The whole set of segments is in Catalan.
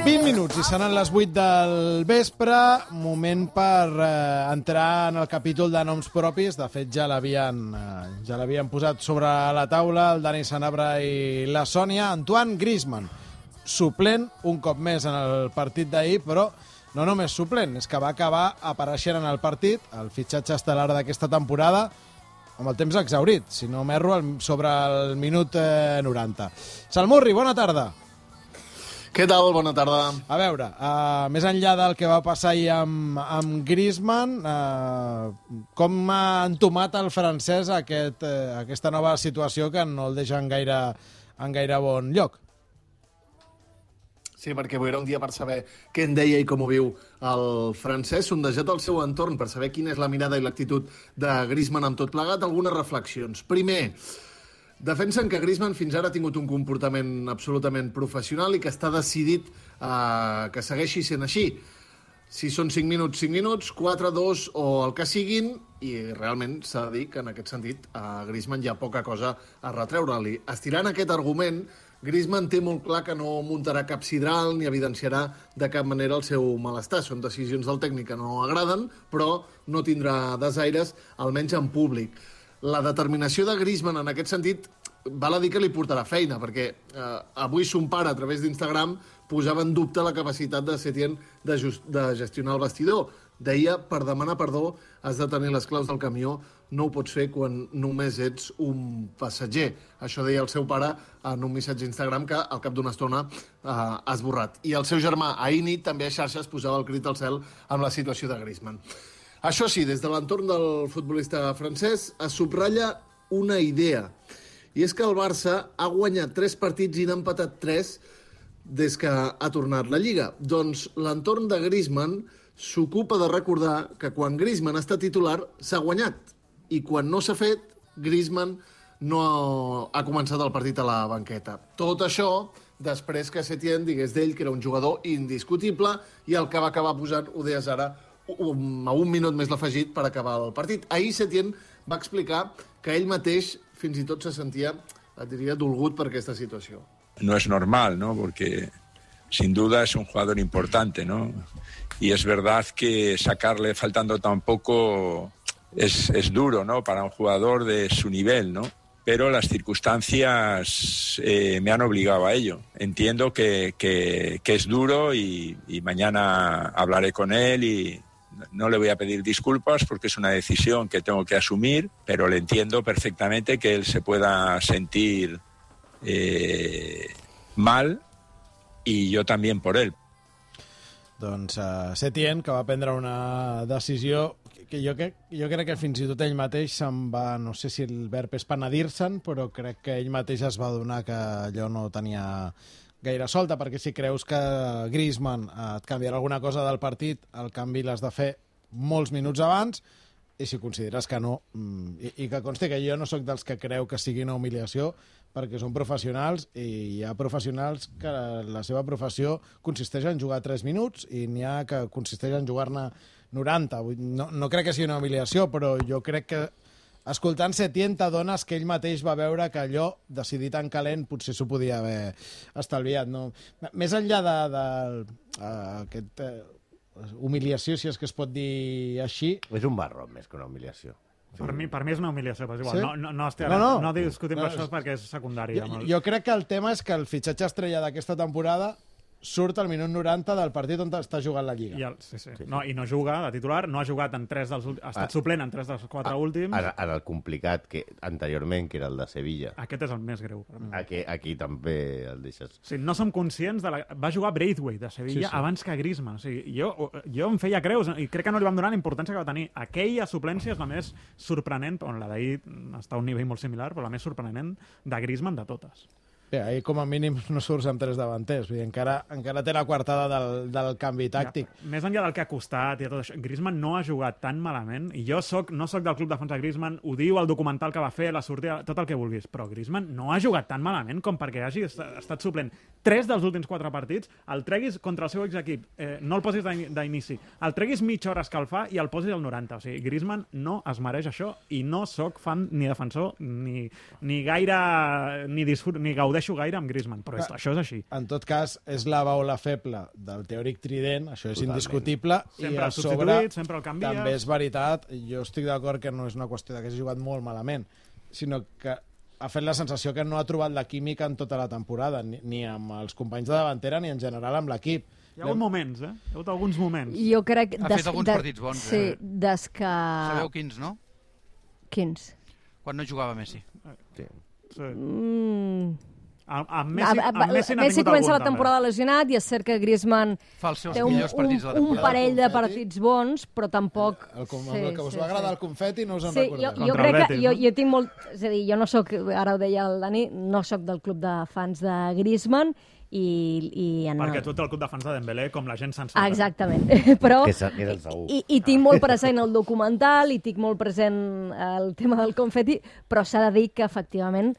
20 minuts i seran les 8 del vespre, moment per entrar en el capítol de noms propis. De fet, ja l'havien posat sobre la taula el Dani Sanabra i la Sònia. Antoine Griezmann, suplent un cop més en el partit d'ahir, però no només suplent, és que va acabar apareixent en el partit, el fitxatge estel·lar d'aquesta temporada, amb el temps exhaurit, si no m'erro, sobre el minut 90. Salmurri, bona tarda. Què tal? Bona tarda. A veure, més enllà del que va passar ahir amb Griezmann, com ha entomat el francès aquesta nova situació que no el deixa en gaire bon lloc? Sí, perquè avui era un dia per saber què en deia i com ho viu el francès, sondejat al seu entorn per saber quina és la mirada i l'actitud de Griezmann amb tot plegat. Algunes reflexions. Primer, defensen que Griezmann fins ara ha tingut un comportament absolutament professional i que està decidit que segueixi sent així. Si són 5 minuts, 5 minuts, 4, 2 o el que siguin, i realment s'ha de dir que en aquest sentit a Griezmann hi ha poca cosa a retreure-li. Estirant aquest argument, Griezmann té molt clar que no muntarà cap sidral ni evidenciarà de cap manera el seu malestar. Són decisions del tècnic que no agraden, però no tindrà desaires, almenys en públic. La determinació de Griezmann en aquest sentit val a dir que li portarà feina, perquè avui son pare a través d'Instagram posava en dubte la capacitat de Setien de gestionar el vestidor. Deia, per demanar perdó has de tenir les claus del camió, no ho pots fer quan només ets un passatger. Això deia el seu pare en un missatge d'Instagram que al cap d'una estona ha esborrat. I el seu germà ahir nit també a xarxes posava el crit al cel amb la situació de Griezmann. Això sí, des de l'entorn del futbolista francès es subratlla una idea, i és que el Barça ha guanyat 3 partits i n'ha empatat 3 des que ha tornat la Lliga. Doncs l'entorn de Griezmann s'ocupa de recordar que quan Griezmann està titular s'ha guanyat, i quan no s'ha fet, Griezmann no ha començat el partit a la banqueta. Tot això després que Setien digués d'ell que era un jugador indiscutible i el que va acabar posant, ho deies ara, a un minut més l'afegit per acabar el partit. Ahir Setien va explicar que ell mateix fins i tot se sentia, et diria, dolgut per aquesta situació. No es normal, ¿no? Porque sin duda es un jugador importante, ¿no? Y es verdad que sacarle faltando tan poco es duro, ¿no? Para un jugador de su nivel, ¿no? Pero las circunstancias me han obligado a ello. Entiendo que es duro y mañana hablaré con él y no le voy a pedir disculpas porque es una decisión que tengo que asumir, pero le entiendo perfectamente que él se pueda sentir mal y yo también por él. Doncs Setien, que va prendre una decisió que jo crec que fins i tot ell mateix se'n va, no sé si el verb és penedir-se'n, però crec que ell mateix es va adonar que allò no tenia gaire solta, perquè si creus que Griezmann et canviarà alguna cosa del partit, el canvi l'has de fer molts minuts abans, i si consideres que no, i que consti que jo no sóc dels que creu que sigui una humiliació, perquè són professionals i hi ha professionals que la seva professió consisteix en jugar 3 minuts i n'hi ha que consisteix en jugar-ne 90. No crec que sigui una humiliació, però jo crec que escoltant Setien t'adones que ell mateix va veure que allò, decidit en calent, potser s'ho podia haver estalviat. No? Més enllà d'aquest humiliació, si és que es pot dir així... És un barro més que una humiliació. Per mi és una humiliació, però és igual. Sí? No discutim això perquè és secundari. Jo crec que el tema és que el fitxatge estrella d'aquesta temporada surt al minut 90 del partit on està jugant la Lliga. Sí. No, i no juga de titular, no ha jugat en 3 dels últims, ha estat suplent en 3 dels 4 últims. En el complicat que anteriorment, que era el de Sevilla. Aquest és el més greu. Aquí també el deixes. Sí, no som conscients de va jugar Braithwaite de Sevilla abans que Griezmann. O sigui, jo em feia creus i crec que no li vam donar la importància que va tenir. Aquella suplència és la més sorprenent, on la d'ahir està a un nivell molt similar, però la més sorprenent de Griezmann de totes. Bé, ahir com a mínim no surts amb 3 davanters, vull dir, encara té la coartada del canvi tàctic. Ja, més enllà del que ha costat i tot això, Griezmann no ha jugat tan malament, i jo no soc del club defensa Griezmann, ho diu el documental que va fer, la sortida, tot el que vulguis, però Griezmann no ha jugat tan malament com perquè hagi estat suplent 3 dels últims 4 partits, el treguis contra el seu exequip, no el posis d'inici, el treguis mitja hora a escalfar i el posis al 90. O sigui, Griezmann no es mereix això i no soc fan ni defensor ni gaire ni gaudeixo coincideixo gaire amb Griezmann, però això és així. En tot cas, és la baula feble del teòric trident, això és indiscutible, Sempre i a el sobre substituït, sempre el canvies. també és veritat, jo estic d'acord que no és una qüestió que hagi jugat molt malament, sinó que ha fet la sensació que no ha trobat la química en tota la temporada, ni amb els companys de davantera ni en general amb l'equip. Hi ha hagut moments, Hi ha hagut alguns moments. Jo crec... Ha fet alguns partits bons, Sí, des que... Sabeu quins, no? Quins? Quan no jugava Messi. Sí. Amb Messi n'ha Messi tingut comença algun, la temporada lesionat i és cert que Griezmann Fa els seus té millors partits de la un temporada. parell de partits bons, però tampoc... El que us va agradar el confeti no us en Sí, recordeu. jo Contra el crec que Betis, jo tinc molt... És a dir, jo no sóc, ara ho deia el Dani, no sóc del club de fans de Griezmann i en Perquè tu ets el club de fans de Dembélé, com la gent sensata. Exactament. Però... Que és el segur. I tinc molt present el documental i tinc molt present el tema del confeti, però s'ha de dir que, efectivament,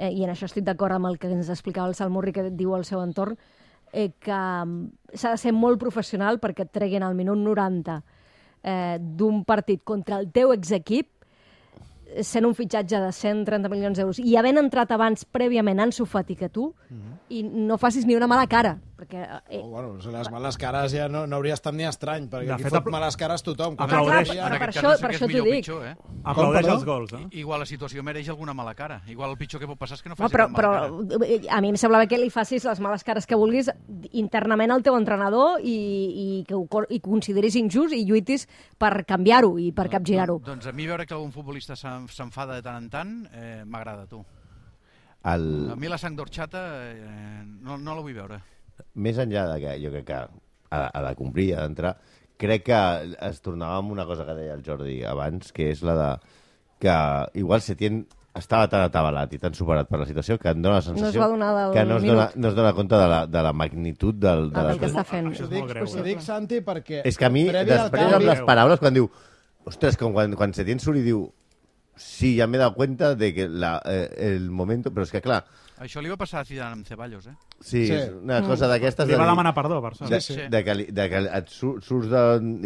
i en això estic d'acord amb el que ens explicava el Salmurri, que diu al seu entorn, que s'ha de ser molt professional perquè et treguin al minut 90 d'un partit contra el teu exequip, sent un fitxatge de 130 milions d'euros i havent entrat abans prèviament Ansu Fati que tu, i no facis ni una mala cara, perquè... Bueno, les males cares ja no hauria estat ni estrany, perquè De aquí fet, fot males cares tothom. aplaudeix. Clar, En per aquest això, cas no sé per què això és t'ho millor o dic. pitjor, Aplaudeix perdó? els gols, Igual la situació mereix alguna mala cara. Igual el pitjor que pot passar és que no No, faci però cap mala cara. a mi em semblava que li facis les males cares que vulguis internament al teu entrenador i que consideris injust i lluitis per canviar-ho i per capgirar-ho. Doncs a mi veure que algun futbolista s'enfada de tant en tant m'agrada, tu. A mi la sang d'orxata no la vull veure. Més enllà de que jo crec que ha de complir, ha d'entrar, crec que es tornava amb una cosa que deia el Jordi abans, que és la de que igual Setién estava tan atabalat i tan superat per la situació que em dona la sensació No es va donar del que no minut. es dona compte de la magnitud del Del que fet. està fent. Això és molt greu. Ho dic, Santi, perquè... És que a mi, previ al després amb canvi- les paraules, quan diu... Ostres, com quan Setién surt i diu... Sí, ja m'he dado cuenta de que el momento... Però és que, clar, Això li va passar a Zidane amb Ceballos, sí, Sí. és una cosa d'aquestes... Li de va dir- demanar perdó, per sort. Sí. de que et surts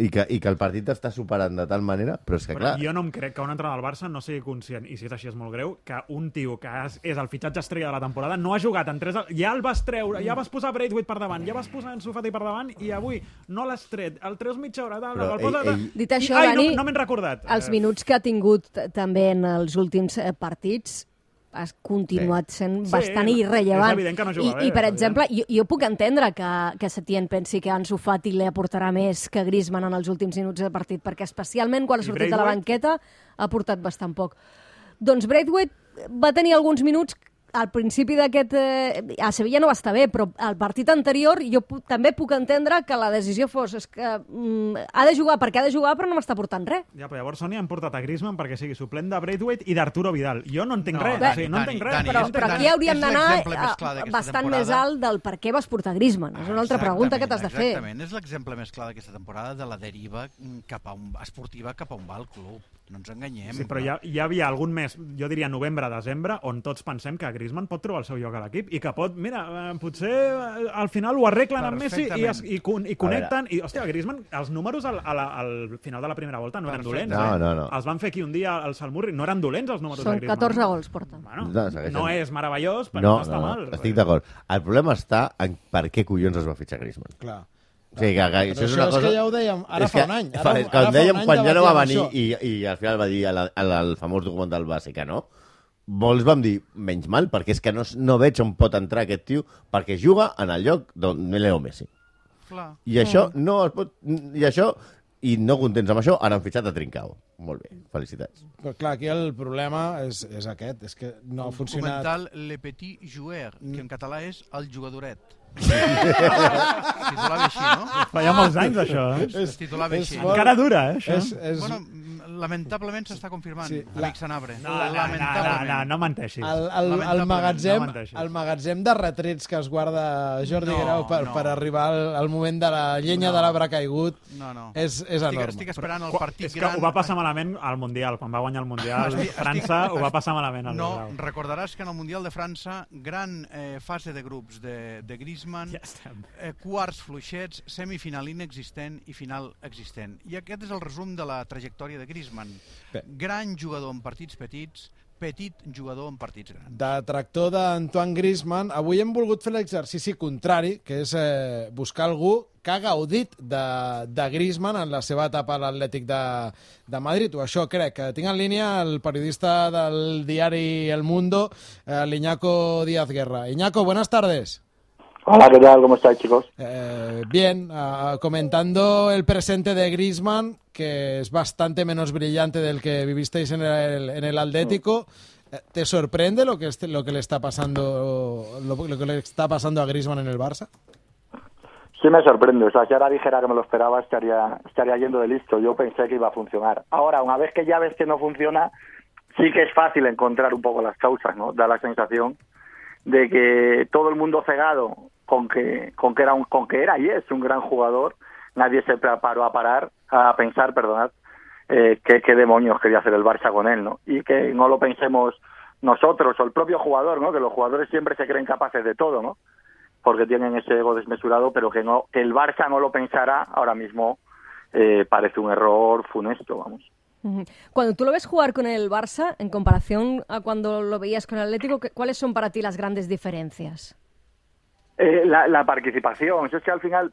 i que el partit t'està superant de tal manera, però és que, Però clar... jo no em crec que un entrenador del Barça no sigui conscient, i si és així és molt greu, que un tio que és el fitxatge estrella de la temporada no ha jugat en 3... Ja el vas treure, ja vas posar Braithwaite per davant, ja vas posar Ansu Fati per davant, i avui no l'has tret, el treus mitja hora, tal, Però el posa... Dit això, Ai, Dani, no me'n recordat. Els minuts que ha tingut també en els últims partits has continuat sent Sí, bastant és irrellevant. evident que no juga bé, I per és exemple, jo puc entendre que Setién pensi que Ansu Fati li aportarà més que Griezmann en els últims minuts de partit, perquè especialment quan ha I sortit de la Braithwaite? banqueta ha aportat bastant poc. Doncs Braithwaite va tenir alguns minuts al principi d'aquest... a Sevilla no va estar bé, però al partit anterior jo també puc entendre que la decisió fos és que ha de jugar perquè ha de jugar, però no m'està portant res. Ja, però llavors Sony han portat a Griezmann perquè sigui suplent de Braithwaite i d'Arturo Vidal. Jo no entenc No, res, Dani, o sigui, no entenc res. Dani, Però Dani, aquí hauríem és d'anar l'exemple més clar d'aquesta bastant temporada. més alt del per què vas portar Griezmann. És una altra pregunta que t'has de fer. Exactament, és l'exemple més clar d'aquesta temporada de la deriva esportiva cap a on va el club. No ens enganyem. Sí, però hi havia algun mes, jo diria novembre-desembre, on tots pensem que Griezmann pot trobar el seu lloc a l'equip i que pot, mira, potser al final ho arreglen amb Messi i connecten. I, hòstia, Griezmann, els números al final de la primera volta no eren dolents. No. Els van fer aquí un dia al Salmurri, no eren dolents els números de Són Griezmann. 14 gols, porta. Bueno, No, segueixen. no és meravellós, però no està mal. Estic d'acord. El problema està en per què collons es va fitxar Griezmann. Clar. O sigui, que això és una cosa... que ja ho dèiem ara És fa que un any. Quan dèiem, quan ja no va venir debatíem i al final va dir al famós documental base que no, molts vam dir, menys mal, perquè és que no veig on pot entrar aquest tio, perquè juga en el lloc d'on Leo Messi. Clar. I això no es pot... I no contents amb això, ara han fitxat a Trincao. Molt bé, felicitats. Però clar, aquí el problema és aquest, és que no ha funcionat. Documental Le Petit Joueur, que en català és El Jugadoret. Es titulava així, no? Fa ja molts anys, això. Es titulava així. molt- Encara dura, això. Bueno, lamentablement s'està confirmant, Sí, amic Sanabre. No menteixis. El magatzem, No menteixis. el magatzem de retrets que es guarda Jordi No, Grau no. per arribar al moment de la llenya de l'arbre caigut No. és enorme. Estic esperant el partit És que gran. ho va passar malament al Mundial, quan va guanyar el Mundial. França ho va passar malament al No, Grau. recordaràs que en el Mundial de França, gran fase de grups de Griezmann, Ja estem. quarts fluixets, semifinal inexistent i final existent. I aquest és el resum de la trajectòria de Griezmann. Bé. Gran jugador en partits petits, petit jugador en partits grans. Detractor d'Antoine Griezmann, avui hem volgut fer l'exercici contrari, que és buscar algú que ha gaudit de Griezmann en la seva etapa a l'Atlètic de Madrid. O això crec. Tinc en línia el periodista del diari El Mundo, l'Iñaco Díaz Guerra. Iñaco, buenas tardes. Hola, ¿qué tal? ¿Cómo estáis, chicos? Bien, comentando el presente de Griezmann, que es bastante menos brillante del que vivisteis en el Atlético. ¿Te sorprende lo que le está pasando lo que le está pasando a Griezmann en el Barça? Sí me sorprende. O sea, si ahora dijera que me lo esperaba, estaría yendo de listo. Yo pensé que iba a funcionar. Ahora, una vez que ya ves que no funciona, sí que es fácil encontrar un poco las causas, ¿no? Da la sensación de que todo el mundo cegado con que era y es un gran jugador, nadie se preparó a pensar, qué demonios quería hacer el Barça con él, ¿no? Y que no lo pensemos nosotros o el propio jugador, ¿no? Que los jugadores siempre se creen capaces de todo, ¿no? Porque tienen ese ego desmesurado, pero que el Barça no lo pensara ahora mismo parece un error funesto, vamos. Cuando tú lo ves jugar con el Barça, en comparación a cuando lo veías con el Atlético, ¿cuáles son para ti las grandes diferencias? La participación. Eso es que al final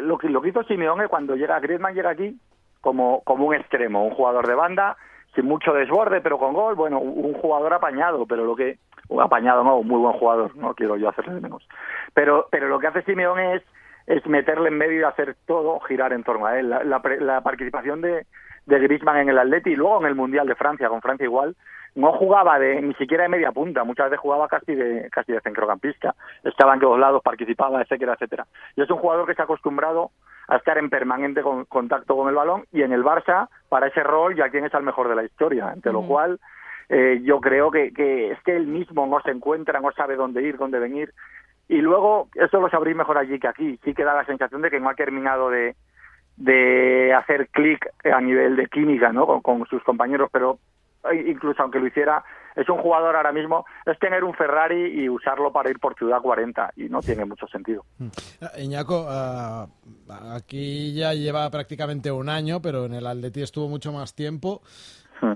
lo que hizo Simeone cuando Griezmann llega aquí como un extremo, un jugador de banda sin mucho desborde, pero con gol. Bueno, un jugador apañado, pero un muy buen jugador, no quiero yo hacerle de menos. Pero lo que hace Simeone es meterle en medio y hacer todo girar en torno a él. La participación de Griezmann en el Atleti y luego en el Mundial de Francia, con Francia igual, no jugaba ni siquiera de media punta, muchas veces jugaba casi de centrocampista, estaba en todos lados, participaba, etcétera, etcétera. Y es un jugador que está acostumbrado a estar en permanente contacto con el balón, y en el Barça, para ese rol, ya quien es el mejor de la historia, ante lo cual yo creo que es que él mismo no se encuentra, no sabe dónde ir, dónde venir, y luego, eso lo sabréis mejor allí que aquí, sí que da la sensación de que no ha terminado de hacer clic a nivel de química, ¿no? con sus compañeros, pero incluso aunque lo hiciera, es un jugador ahora mismo, es tener un Ferrari y usarlo para ir por Ciudad 40, y no tiene mucho sentido. Iñaco, aquí ya lleva prácticamente un año, pero en el Atleti estuvo mucho más tiempo.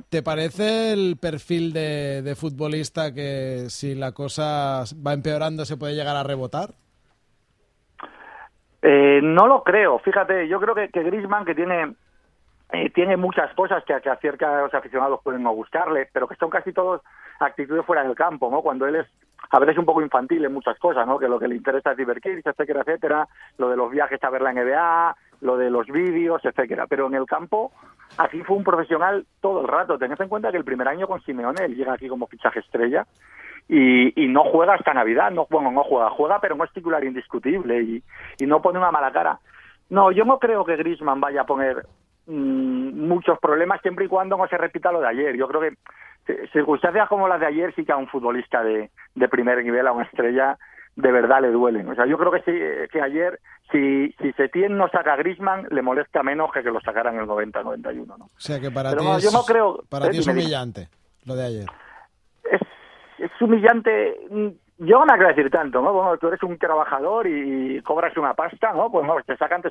¿Te parece el perfil de futbolista que si la cosa va empeorando se puede llegar a rebotar? No lo creo, fíjate, yo creo que Griezmann, que tiene muchas cosas que a ciertos aficionados pueden no gustarle, pero que son casi todos actitudes fuera del campo, ¿no? Cuando él es a veces un poco infantil en muchas cosas, ¿no? Que lo que le interesa es divertirse, etcétera, etcétera, lo de los viajes a ver la NBA, lo de los vídeos, etcétera. Pero en el campo, aquí fue un profesional todo el rato. Tened en cuenta que el primer año con Simeone, él llega aquí como fichaje estrella, y no juega hasta Navidad, no juega, pero no es titular indiscutible y no pone una mala cara. No, yo no creo que Griezmann vaya a poner muchos problemas siempre y cuando no se repita lo de ayer. Yo creo que circunstancias como las de ayer sí que a un futbolista de primer nivel, a una estrella, de verdad le duelen. O sea, yo creo que sí, que ayer, si Setién no saca a Griezmann, le molesta menos que lo sacaran en el 90-91, ¿no? O sea, que para pero ti, no, yo no creo, para ti es humillante lo de ayer. Es humillante. Yo no me quiero decir tanto, ¿no? Bueno, tú eres un trabajador y cobras una pasta, ¿no? Pues no, te sacan.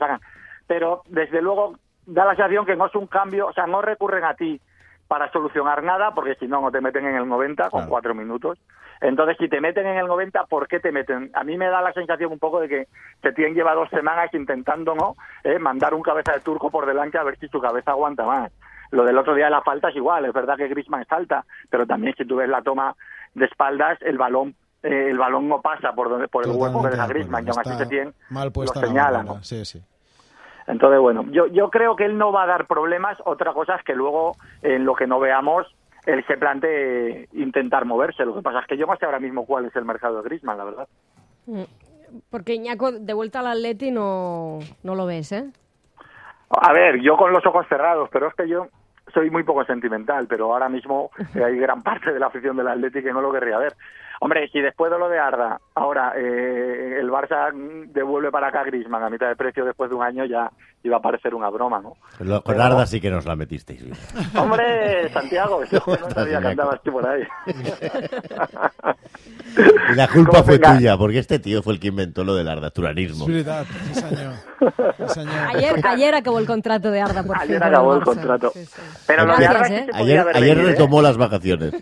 Pero, desde luego, da la sensación que no es un cambio, o sea, no recurren a ti para solucionar nada, porque si no te meten en el 90 con 4 minutos. Entonces, si te meten en el 90, ¿por qué te meten? A mí me da la sensación un poco de que Setién lleva 2 semanas intentando, ¿no? Mandar un cabeza de turco por delante a ver si su cabeza aguanta más. Lo del otro día de la falta es igual, es verdad que Griezmann salta, pero también si tú ves la toma de espaldas, el balón no pasa por el hueco que deja Griezmann, y aún así Setién lo señala, ¿no? Sí, sí. Entonces, bueno, yo creo que él no va a dar problemas. Otra cosa es que luego, en lo que no veamos, él se plantee intentar moverse. Lo que pasa es que yo no sé ahora mismo cuál es el mercado de Griezmann, la verdad. Porque Iñaco, de vuelta al Atleti no lo ves, ¿eh? A ver, yo con los ojos cerrados, pero es que yo soy muy poco sentimental, pero ahora mismo hay gran parte de la afición del Atleti que no lo querría ver. Hombre, si después de lo de Arda, ahora el Barça devuelve para acá a Griezmann a mitad de precio después de un año, ya iba a parecer una broma, ¿no? Con Arda sí que nos la metisteis. Hombre, Santiago, ese no sabía que andabas tú por ahí. Y la culpa fue tuya, porque este tío fue el que inventó lo del ardasturanismo. Sí, señor. Ayer acabó el contrato de Arda, por fin. Ayer acabó el contrato. Sí. Pero Gracias, lo de Arda sí se podía haber ayer venido, retomó las vacaciones.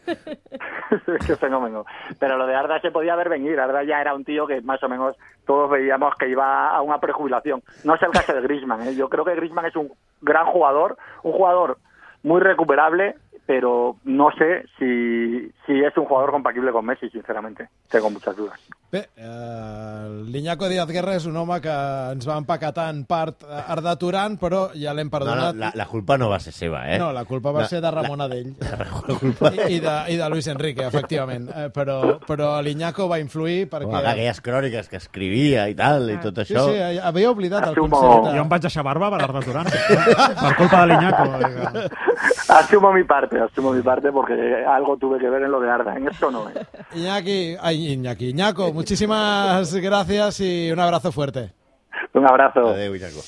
Qué fenómeno. Pero lo de Arda se podía ver venir. Arda ya era un tío que más o menos todos veíamos que iba a una prejubilación. No es el caso de Griezmann, ¿eh? Yo creo que Griezmann es un gran jugador, un jugador muy recuperable, pero no sé si és un jugador compatible con Messi, sinceramente. Tengo muchas dudas. Bé, l'Iñaco Díaz Guerra és un home que ens va empaquetar en part Arda Turan, però ja l'hem perdonat. No, la culpa no va ser seva, eh? No, la culpa va ser de Ramon Adell. I de Luis Enrique, efectivament. Però l'Iñaco va influir perquè... Aquelles cròniques que escrivia i tal, i tot això... Sí, havia oblidat el concepte. Jo em vaig deixar barba per Arda Turan, per culpa de l'Iñaco. Asumo mi parte porque algo tuve que ver en lo de Arda. En esto no, Iñaco, muchísimas gracias y un abrazo fuerte. Un abrazo. Adéu, Iñaco.